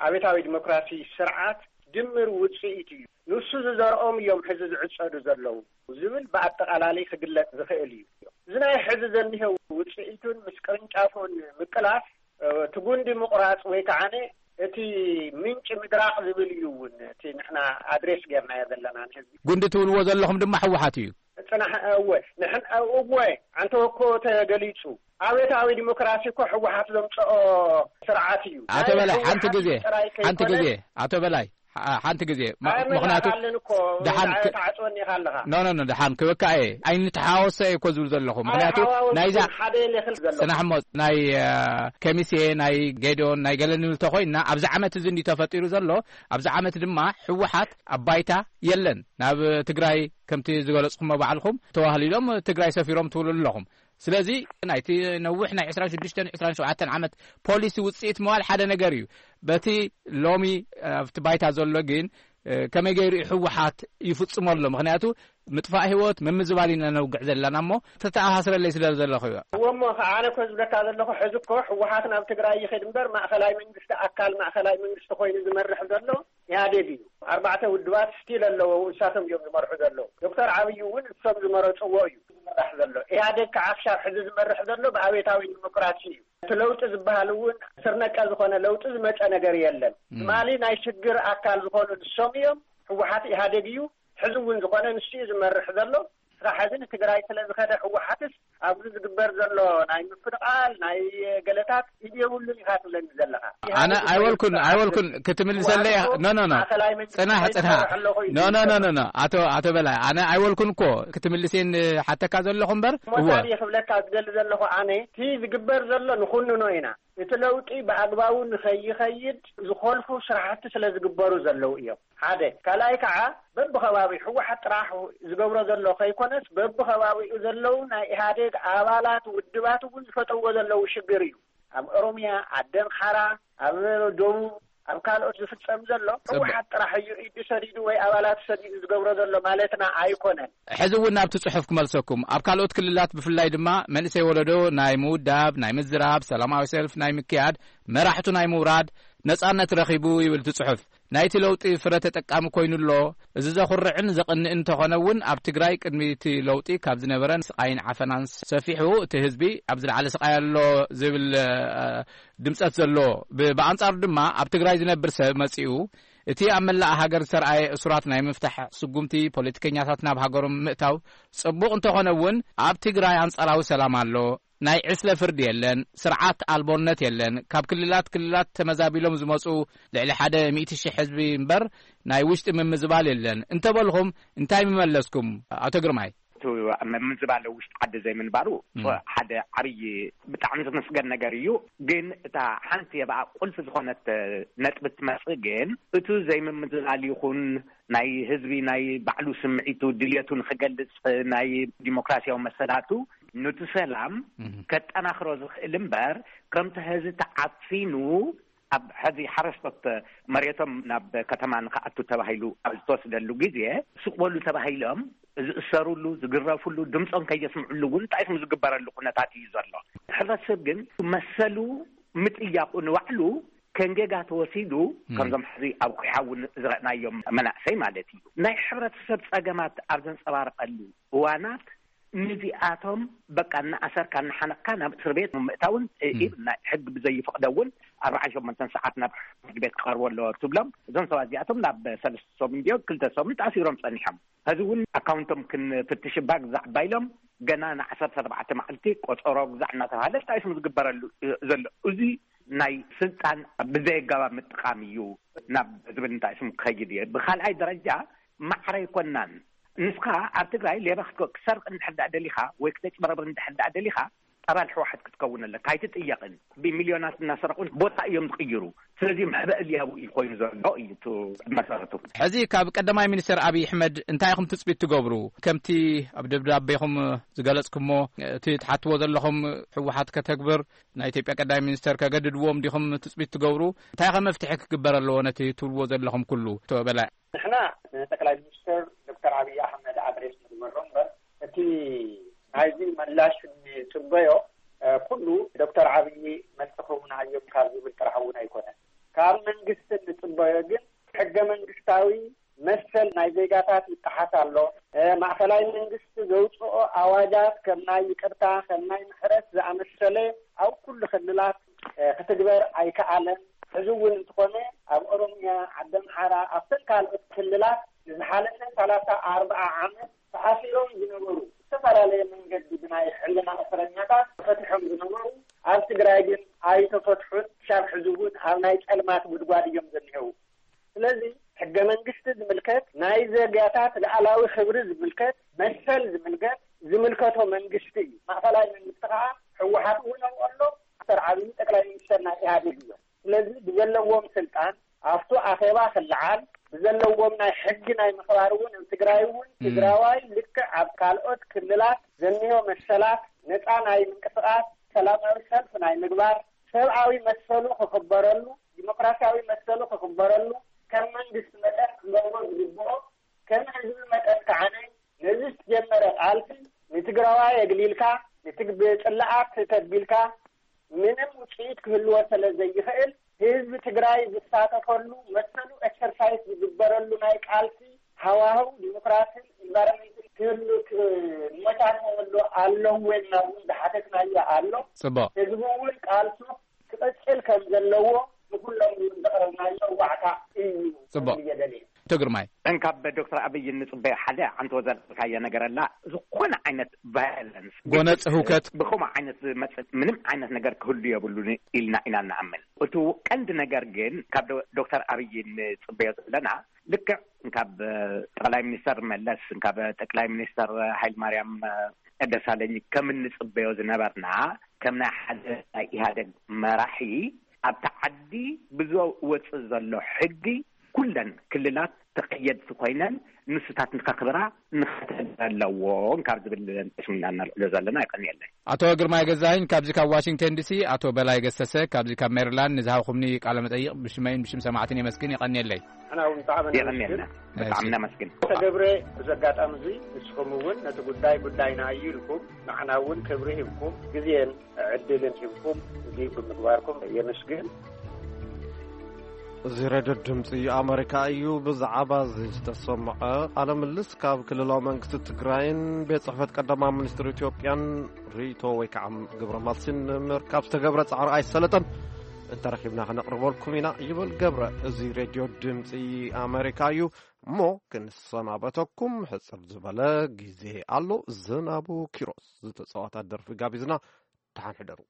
ኣብዮታዊ ዲሞክራሲ ስርዓት ድምር ውጽኢት እዩ። ንሱ ዝዘርኦም እዮም ሕዚ ዝዕጸዱ ዘለዉ ዝብል ብኣጠቓላሊ ክግለጽ ዝኽእል እዩ። እዚ ናይ ሕዚ ዘኒሀው ውጽኢቱን ምስ ቅርንጫፉን ምቅላስ፣ እ፣ እቲ ጉንዲ ምቑራጽ ወይ ከዓነ እቲ ምንጪ ምድራቕ ዝብል እዩ እውን እቲ ንሕና ኣድሬስ ጌርናዮ ዘለና ንህዝቢ። ጉንዲ ትብልዎ ዘለኹም ድማ ህወሓት እዩ። ጽናሕ፣ እወ፣ ንሕን፣ እወ፣ ኣንተ እኮ ተገሊጹ። ኣብዮታዊ ዲሞክራሲ እኮ ህወሓት ዘምጽኦ ስርዓት እዩ። ኣቶ ናይ በላይ፣ ህወሓት ሓንቲ ግዜ፣ ጥራይ ሓንቲ ከይኮነ ግዜ፣ ኣቶ በላይ፣ ሓ-፣ ሓንቲ ግዜ። ም-፣ ኣይ፣ ምኽንያቱ መላእካለን እኮ፣ ደሓን ክ-፣ ተዓጽወኒ ኢኻ ኣለኻ። ኖ፣ ኖ፣ ኖ፣ ደሓን ክበካ እየ። ኣይንተሓወሶ እየ እኮ ዝብል ዘለኹ። ምኽንያቱ ኣይሓዋወስን፣ ናይዛ ሓደ እየ ክብል ዘለኹ። ጽናሕ እሞ፣ ናይ፣ እ፣ ከሚሴ፣ ናይ ጌዶን፣ ናይ ገለ ንብል ተኾይንና፣ ኣብዚ ዓመት እዚ እንዲ ተፈጢሩ ዘሎ፣ ኣብዚ ዓመት ድማ ህወሓት ኣብ ባይታ የለን። ናብ ትግራይ፣ ከምቲ ዝገለጽኩሞ ባዕልኹም፣ ተዋህሊሎም ትግራይ ሰፊሮም ትብሉ ኣለኹም። ስለዚ ናይቲ ነዊሕ ናይ ዕስራን ሽዱሽተን ዕስራን ሸውዓተን ዓመት ፖሊሲ ውጽኢት ምባል ሓደ ነገር እዩ። በቲ ሎሚ ኣብቲ ባይታ ዘሎ ግን፣ እ፣ ከመይ ገይሩ እዩ ህወሓት ይፍጽሞ ኣሎ? ምኽንያቱ ምጥፋእ ህይወት፣ ምምዝባል ኢና ነውግዕ ዘለና እሞ ተተኣሳስረለይ ስለ ዘለኹ እዩ። እዎ እሞ፣ ከ-፣ ኣነ እኮ ዝብለካ ዘለኹ፣ ሕዚ እኮ ህወሓት ናብ ትግራይ ይኸድ እምበር፣ ማእኸላይ መንግስቲ፣ ኣካል ማእኸላይ መንግስቲ ኮይኑ ዝመርሕ ዘሎ ኢህኣዴግ እዩ። ኣርባዕተ ውድባት ስቲል ኣለዎ፣ እሳቶም እዮም ዝመርሑ ዘለዉ። ዶክተር ዓብዪ እውን እሶም ዝመረፅዎ እዩ ዝመራሕ ዘሎ። ኢህኣዴግ ከዓ ክሻብ ሕዚ ዝመርሕ ዘሎ ብኣብዮታዊ ዲሞክራሲ እዩ። እቲ ለውጢ ዝበሃል እውን ስር ነቀል ዝኾነ ለውጢ ዝመፀ ነገር የለን። እም። ትማሊ ናይ ሽግር ኣካል ዝኾኑ ንሶም እዮም። ህወሓት ኢህኣዴግ እዩ። ሕዚ እውን ዝኾነ ንሱ እዩ ዝመርሕ ዘሎ። ስራሕ ሕዚ ንትግራይ ስለ ዝኸደ ህወሓትስ ኣብዚ ዝግበር ዘሎ ናይ ምፍንቓል፣ ናይ ገለታት ኢድ የብሉን ኢኻ ትብለኒ ዘለኻ። ኣነ ኢህኣዴግ ኣይበልኩን፣ ይሰርሕ ኣይበልኩን። ክትምልሰለይ፣ ማለት እኮ ኖ፣ ኖ፣ ኖ። ማእኸላይ መንግስቲ ጽናሕ፣ ከይሰርሕ ጽናሕ። ኣለኹ እዩ ኖ፣ ኖ፣ ኖ፣ ዝብል። ኖ፣ ኖ። ኣቶ፣ ኣቶ በላይ፣ ኣነ ኣይበልኩን እኮ ክትምልሴን ሓተካ ዘለኹ እምበር። እሞ እወ። ታዲያ ክብለካ ዝደሊ ዘለኹ ኣነ፣ እቲ ዝግበር ዘሎ ንኹንኖ ኢና። እቲ ለውጢ ብኣግባቡ ንኸይኸይድ ዝኾልፉ ስራሕቲ ስለ ዝግበሩ ዘለዉ እዮም። ሓደ። ካልኣይ ከዓ በብኸባቢኡ ህወሓት ጥራሕ ዝገብሮ ዘሎ ከይኮነስ በብኸባቢኡ ዘለዉ ናይ ኢህኣዴግ ኣባላት ውድባት እውን ዝፈጠዎ ዘለዉ ሽግር እዩ። ኣብ ኦሮሚያ፣ ኣብ ደምሓራ፣ ኣብ ደቡብ፣ ኣብ ካልኦት ዝፍጸም ዘሎ ጽቡቅ። ህወሓት ጥራሕ እዩ ኢዱ ሰዲዱ ወይ ኣባላት ሰዲዱ ዝገብሮ ዘሎ ማለትና ኣይኮነን። ሕዚ እውን ናብቲ ጽሑፍ ክመልሰኩም። ኣብ ካልኦት ክልላት ብፍላይ ድማ መንእሰይ ወለዶ ናይ ምውዳብ፣ ናይ ምዝራብ፣ ሰላማዊ ሰልፍ ናይ ምክያድ፣ መራሕቱ ናይ ምውራድ ነጻነት ረኺቡ ይብል እቲ ጽሑፍ። ናይቲ ለውጢ ፍረ ተጠቃሚ ኮይኑ ኣሎ። እዚ ዘኹርዕን ዘቕንእን እንተኾነ እውን ኣብ ትግራይ ቅድሚ እቲ ለውጢ ካብ ዝነበረን ስቓይን ዓፈናን ሰፊሑ እቲ ህዝቢ ኣብ ዝለዓለ ስቓይ ኣሎ ዝብል፣ እ፣ ድምጸት ዘሎ። ብ-፣ ብኣንጻሩ ድማ ኣብ ትግራይ ዝነብር ሰብ መጺኡ እቲ ኣብ መላእ ሃገር ዝተርኣየ እሱራት ናይ ምፍታሕ ስጉምቲ ፖለቲከኛታት ናብ ሃገሮም ምእታው ጽቡቕ እንተኾነ እውን ኣብ ትግራይ ኣንጻራዊ ሰላም ኣሎ። ናይ ዕስለ ፍርዲ የለን፣ ስርዓት ኣልቦነት የለን። ካብ ክልላት ክልላት ተመዛቢሎም ዝመጹ ልዕሊ ሓደ ሚእቲ ሽሕ ህዝቢ እምበር ናይ ውሽጢ ምምዝባል የለን እንተበልኹም እንታይ ምመለስኩም ኣቶ ግርማይ? እቲ ምምዝባል ውሽጢ ዓዲ ዘይምንባሩ እም። ሓደ ዓብዪ ብጣዕሚ ዝምስገን ነገር እዩ። ግን እታ ሓንቲ የብኣ ቁልፊ ዝኾነት ነጥቢ ትመጽእ ግን፣ እቲ ዘይምምዝባል ይኹን ናይ ህዝቢ ናይ ባዕሉ ስምዒቱ ድልየቱ ንኽገልጽ ናይ ዲሞክራሲያዊ መሰላቱ ኑቲ ሰላም እም። ከጠናኽሮ ዝኽእል እምበር፣ ከምቲ ሕዚ ተዓፊኑ ኣብ ሕዚ ሓረስቶት መሬቶም ናብ ከተማ ንኽኣቱ ተባሂሉ ኣብ ዝተወስደሉ ግዜ፣ ስቕ በሉ ተባሂሎም ዝእሰሩሉ፣ ዝግረፉሉ፣ ድምፆም ከየስምዕሉ እውን እንታይ ዝግበረሉ ኩነታት እዩ ዘሎ። ሕብረተሰብ ግን መሰሉ ምጥያቑ ንባዕሉ ከንጌጋ ተወሲዱ፣ ከምዞም ሕዚ ኣብ ኩሓ እውን ዝረእናዮም መናእሰይ ማለት እዩ፣ ናይ ሕብረተሰብ ጸገማት ኣብ ዘንጸባርቐሉ እዋናት፣ ንዚኣቶም በቃ እናኣሰርካ እናሓነቕካ ናብ እስር ቤት ምእታውን፣ እ፣ ም። ኢብ ናይ ሕግ ብዘይፍቕዶ እውን ኣርባዓን ሸሞንተን ሰዓት ናብ ፍርዲ ቤት ክቐርቡ ኣለዎ ትብሎም። እዞም ሰባት እዚኣቶም ናብ ሰለስተ ሰሙን ድዮ ክልተ ሰሙን ተኣሲሮም ጸኒሖም። ሕዚ እውን ኣካውንቶም ክንፍትሽ እባ ግዛዕ እባ ኢሎም፣ ገና ንዓሰርተ ኣርባዕተ መዓልቲ ቆጸሮ ግዛዕ እናተባህለ እንታይ ስም ዝግበረሉ ዘሎ። እዚ ናይ ስልጣን ብዘየጋባብ ምጥቃም እዩ ናብ ዝብል እንታይ ስም ክኸይድ እየ። ብኻልኣይ ደረጃ ማዕረ ኣይኮናን። ንስኻ ኣብ ትግራይ ሌባ ክትኮ-፣ ክትሰርቕ እንድሕር ደኣ ደሊኻ ወይ ክተጭበረብር እንድሕር ደኣ ደሊኻ ኣባል ህወሓት ክትከውን ኣለካ። ኣይትጥየቕን። ብሚልዮናት እናሰረቑን ቦታ እዮም ዝቕይሩ። ስለዚ መሕበኢ ሊያቡ እዩ ኮይኑ ዘሎ እዩ እቲ መሰረቱ። ሕዚ ካብ ቀዳማይ ሚኒስተር ኣብይ ኣሕመድ እንታይ ኢኹም ትጽቢት ትገብሩ? ከምቲ ኣብ ደብዳቤኹም ዝገለጽኩሞ፣ እቲ ትሓትዎ ዘለኹም ህወሓት ከተግብር ናይ ኢትዮጵያ ቀዳማይ ሚኒስተር ከገድድዎም ዲኹም ትጽቢት ትገብሩ? እንታይ ከ መፍትሒ ክግበር ኣለዎ ነቲ ትብልዎ ዘለኹም ኩሉ? ኣቶ በላይ። ንሕና ንጠቅላይ ሚኒስትር ዶክተር ኣብይ ኣሕመድ ኣድሬስ ንግበሮ እምበር፣ እቲ ናይዚ ምላሽ እንጽበዮ፣ እ፣ ኩሉ ዶክተር ኣብይ መልሲ ክህቡና እዮም ካብ ዝብል ጥራሕ እውን ኣይኮነን። ካብ መንግስቲ እንጽበዮ ግን ሕገ መንግስታዊ መሰል ናይ ዜጋታት ይጠሓስ ኣሎ። እ፣ ማእኸላይ መንግስቲ ዘውፅኦ ኣዋጃት ከም ናይ ይቅርታ፣ ከም ናይ ምሕረት ዝኣመሰለ ኣብ ኩሉ ክልላት፣ እ፣ ክትግበር ኣይከኣለን። ሕዚ እውን እንተኾነ ኣብ ኦሮሚያ፣ ዓዲ ኣምሓራ፣ ኣብተን ካልኦት ክልላት ንዝሓለፈ ሰላሳ ኣርባዓ ዓመት ተኣሲሮም ዝነበሩ፣ ዝተፈላለየ መንገዲ ብናይ ሕልና እስረኛታት ተፈቲሖም ዝነበሩ ኣብ ትግራይ ግን ኣይተፈትሑን። ክሳብ ሕዚ እውን ኣብ ናይ ጸልማት ጉድጓድ እዮም ዘኒሀው። ስለዚ ሕገ መንግስቲ ዝምልከት፣ ናይ ዜጋታት ልኣላዊ ክብሪ ዝምልከት፣ መሰል ዝምልከት ዝምልከቶ መንግስቲ እዩ። ማእኸላይ መንግስቲ ከዓ ህወሓት እውን ኣብኡ ኣሎ። ዶክተር ዓብዪ ጠቅላይ ሚኒስተር ናይ ኢህኣዴግ እዮም። ስለዚ ብዘለዎም ስልጣን ኣብቱ ኣኼባ ክለዓል፣ ብዘለዎም ናይ ሕጊ ናይ ምኽባር እውን ኣብ ትግራይ እውን ትግራዋይ ልክዕ ኣብ ካልኦት ክልላት ዘኒሆ መሰላት፣ ነፃ ናይ ምንቅስቃስ፣ ሰላማዊ ሰልፍ ናይ ምግባር፣ ሰብኣዊ መሰሉ ክኽበረሉ፣ ዲሞክራሲያዊ መሰሉ ክኽበረሉ፣ ከም መንግስቲ መጠን ክገብሮ ዝግብኦ፣ ከም ህዝቢ መጠን ከዓነ ነዚ ዝተጀመረ ቃልሲ ንትግራዋይ የግሊልካ፣ ንትግ-፣ ብጽላኣት ተቢልካ ምንም ውጽኢት ክህልዎ ስለ ዘይኽእል፣ ህዝቢ ትግራይ ዝሳተፈሉ፣ መሰሉ ኤክሰርሳይዝ ዝግበረሉ ናይ ቃልሲ ሃዋህው ዲሞክራሲን ኢንቫይሮንመንትን ክህሉ ክመቻቸወሉ ኣለዎ ኢልና እውን ዝሓተትናዮ ኣሎ። ጽቡቕ። ህዝቢ እውን ቃልሱ ክቐጽል ከም ዘለዎ ንኩሎም እውን ዘቕረብናዮ ዋዕታ እዩ ጽቡቕ። ክብል እየ ደልየ። ኣቶ ግርማይ። እንካብ ዶክተር ኣብይ እንጽበዮ ሓደ ዓንቶ ዘልካዮ ነገር ኣላ። ዝኾነ ዓይነት ቫዮለንስ፣ ጎነጽ ህውከት። ብኸምኡ ዓይነት ዝመጽእ ምንም ዓይነት ነገር ክህሉ የብሉን ኢልና ኢና ንኣምን። እቲ ቀንዲ ነገር ግን ካብ ዶ-፣ ዶክተር ኣብይ እንጽበዮ ዘለና ልክዕ ካብ ጠቅላይ ሚኒስተር መለስ፣ ካብ ጠቅላይ ሚኒስተር ሃይለማርያም ደሳለኝ ከም እንጽበዮ ዝነበርና፣ ከም ናይ ሓደ ናይ ኢህኣደግ መራሒ ኣብቲ ዓዲ ብዝወጽእ ዘሎ ሕጊ ኩለን ክልላት ተቐየድቲ ኮይነን ንሱታት ንኸኽብራ ንኸተግብረ ኣለዎን ካብ ዝብል ስምና እናልዕሎ ዘለና። ይቀንየለይ። ኣቶ ግርማይ ገዛኸኝ ካብዚ ካብ ዋሽንግተን ዲሲ፣ ኣቶ በላይ ገሰሰ ካብዚ ካብ ሜሪላንድ ንዝሃብኩምኒ ቃለ መጠይቕ ብሽመይን ብሽም ሰማዕትን የመስግን። የቐንየለይ። ንሕና እውን ብጣዕሚ የቐንየልና። ነመስግን። ብጣዕሚ እሺ። ነመስግን። ተገብረ፣ ብዚ ኣጋጣሚ እዚ ንስኹም እውን ነቲ ጉዳይ ጉዳይና እዩ ኢልኩም ንዓና እውን ክብሪ ሂብኩም ግዜን ዕድልን ሂብኩም እዚ ብምግባርኩም የመስግን። እዚ ሬድዮ ድምፂ ኣመሪካ እዩ። ብዛዕባ እዚ ዝተሰምዐ ቃለ ምልልስ ካብ ክልላዊ መንግስቲ ትግራይን ቤት ጽሕፈት ቀዳማይ ሚኒስትር ኢትዮጵያን ርእይቶ ወይ ከዓ ግብረ መልሲ ንምርካብ ዝተገብረ ጻዕሪ ኣይሰለጠን። እንተረኺብና ክነቕርበልኩም ኢና ይብል ገብረ። እዚ ሬድዮ ድምፂ ኣመሪካ እዩ። እሞ ክንሰናበተኩም ሕጽር ዝበለ ግዜ ኣሎ። ዝናቡ ኪሮስ ዝተጻወታ ደርፊ ጋቢዝና። ደሓን ሕደሩ።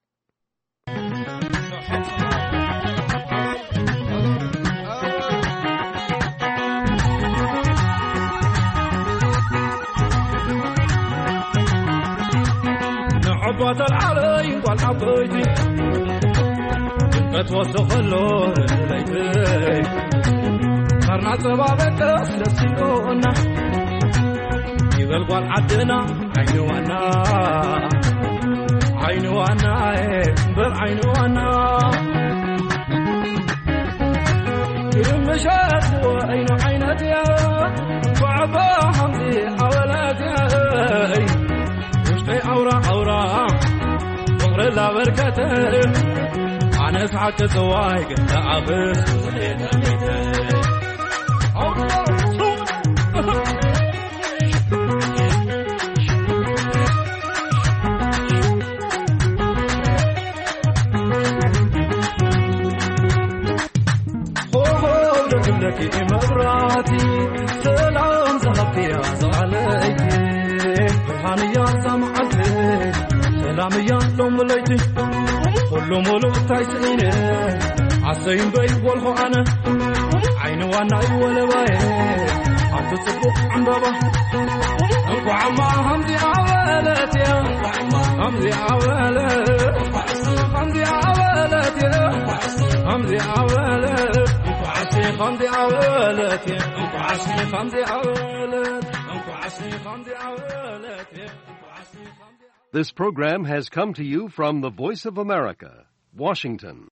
ንዕቦ ተልዓለይ ጓል ዓበይቲ፣ ድምቀት ወስዶ ከሎ ለይቲ፣ ሳርና ጸባበቀስ ደስ ኢሉና፣ ይበል ጓል ዓድና ዓይኒ ዋና፣ ዓይኒ ዋና፣ እምበር ዓይኒ ዋና። ምሸት ወይኑ ዓይነት እያ፣ ጓዕባ ሓምዚ ኣወላት እያ። ውሽጠይ ኣውራ ኣውራ ፍቕሪ ላበርከተ፣ ኣነስ ሓቂ ጽዋይ ግን ተዓብስ ሆሆ ደቂ ደቂ መብራቲ ሰላም ዝሃብክያ ዝዓለይቲ ብርሃንያ እዛ መዓልቲ ሰላምያ ሎም ለይቲ ኩሉ ሙሉእ እንታይ ስኢነ ኣሰይ እምበይ ወልኹ ኣነ ዓይኒ ዋናይ ወለባየ ኣብቲ ጽቡቕ ዕምበባ እንኳዕማ ከምዚኣ በለት እያ ከምዚኣ በለት ከምዚኣ በለት እያ ከምዚኣ በለት እንኳዕሲ ከምዚኣ በለት እያ እንኳዕሲ ከምዚኣ በለት እንኳዕሲ ከምዚኣ በለት እያ እንኳዕሲ ከምዚኣ This program has come to you from the Voice of America, Washington.